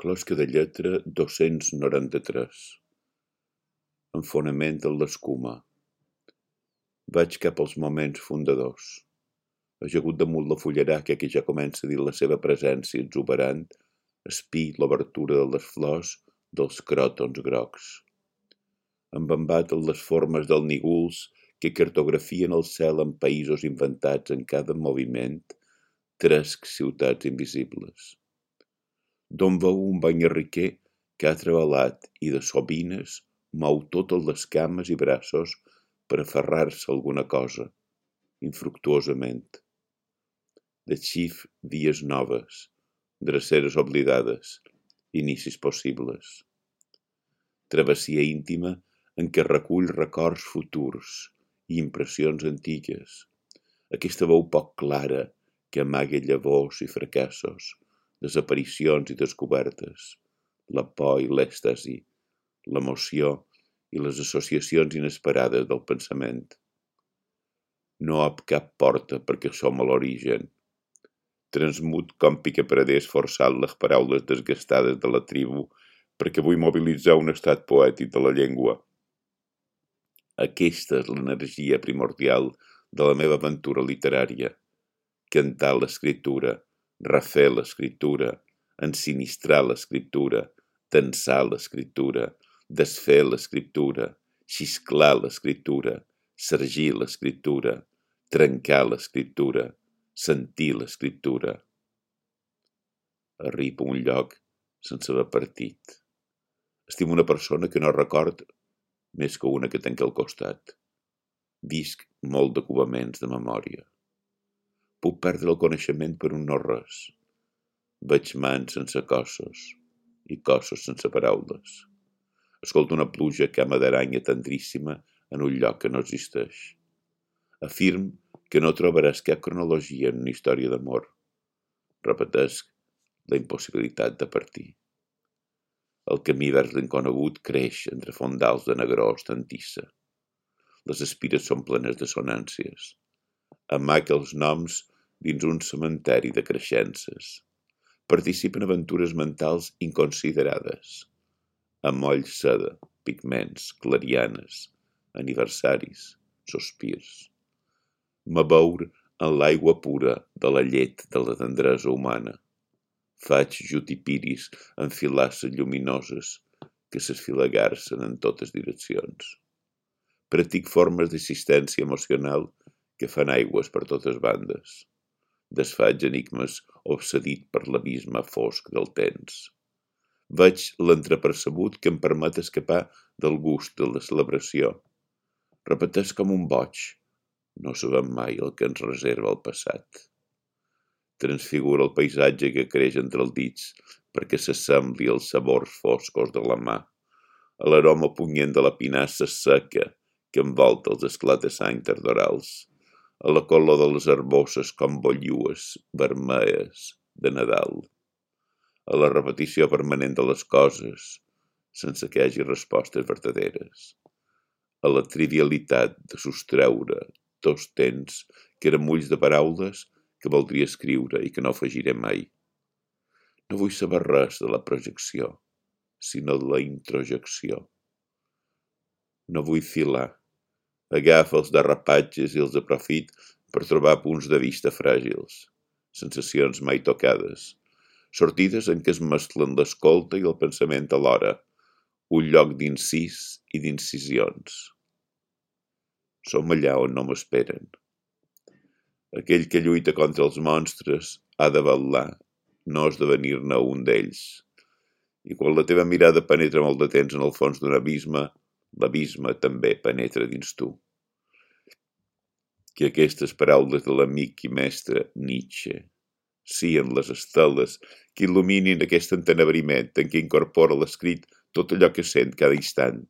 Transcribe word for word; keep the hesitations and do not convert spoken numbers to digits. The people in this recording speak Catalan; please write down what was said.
Closca de lletra dos-cents noranta-tres. Enfonament en l'escuma. Vaig cap als moments fundadors. Ajagut damunt la fullaraca que ja comença a dir la seva presència exuberant, espí l'obertura de les flors dels cròtons grocs. Embambat en les formes dels nígols que cartografien el cel en països inventats en cada moviment, tresc ciutats invisibles. D'on veu un banyarriquer que ha treballat i de sovines mou totes les cames i braços per aferrar-se a alguna cosa, infructuosament. De xif vies noves, dreceres oblidades, inicis possibles. Travessia íntima en què recull records futurs i impressions antigues. Aquesta veu poc clara que amaga llavors i fracassos, desaparicions i descobertes, la por i l'èxtasi, l'emoció i les associacions inesperades del pensament. No ob cap porta perquè som a l'origen. Transmut com picapreders forçant les paraules desgastades de la tribu perquè vull mobilitzar un estat poètic de la llengua. Aquesta és l'energia primordial de la meva aventura literària. Cantar l'escriptura, refer l'escriptura, ensinistrar l'escriptura, tensar l'escriptura, desfer l'escriptura, xisclar l'escriptura, sargir l'escriptura, trencar l'escriptura, sentir l'escriptura. Arribo a un lloc sense haver partit. Estimo una persona que no record més que una que tenc al costat. Visc molt de covaments de memòria. Puc perdre el coneixement per un no-res. Veig mans sense cossos i cossos sense paraules. Escolto una pluja cama d'aranya tendríssima en un lloc que no existeix. Afirm que no trobaràs cap cronologia en una història d'amor. Repetesc la impossibilitat de partir. El camí vers l'inconegut creix entre fondals de negró ostantissa. Les espires són plenes de sonàncies. Amaca els noms dins un cementeri de creixences. Participa en aventures mentals inconsiderades. Amoll seda, pigments, clarianes, aniversaris, sospirs. M'abour en l'aigua pura de la llet de la tendresa humana. Faig jutipiris en filasses lluminoses que s'esfilagarcen en totes direccions. Practic formes d'assistència emocional que fan aigües per totes bandes. Desfaig enigmes obsedit per l'abisme fosc del temps. Veig l'entrepercebut que em permet escapar del gust de la celebració. Repeteix com un boig. No sabem mai el que ens reserva el passat. Transfigura el paisatge que creix entre els dits perquè s'assembli als sabors foscos de la mà, a l'aroma punyent de la pinassa seca que envolta els esclata-sang tardorals, a la color de les herboses com bollues vermelles de Nadal, a la repetició permanent de les coses sense que hi hagi respostes verdaderes, a la trivialitat de sostreure dos temps que eren mulls de paraules que voldria escriure i que no afegiré mai. No vull saber res de la projecció, sinó de la introjecció. No vull filar. Agafa els derrapatges i els aprofit per trobar punts de vista fràgils, sensacions mai tocades, sortides en què es mesclen l'escolta i el pensament alhora, un lloc d'incís i d'incisions. Som allà on no m'esperen. Aquell que lluita contra els monstres ha de vetllar, no esdevenir-ne un d'ells. I quan la teva mirada penetra molt de temps en el fons d'un abisme, l'abisme també penetra dins tu. Que aquestes paraules de l'amic i mestre Nietzsche siguin les esteles que il·luminin aquest entenebriment en què incorpora l'escrit tot allò que sent cada instant.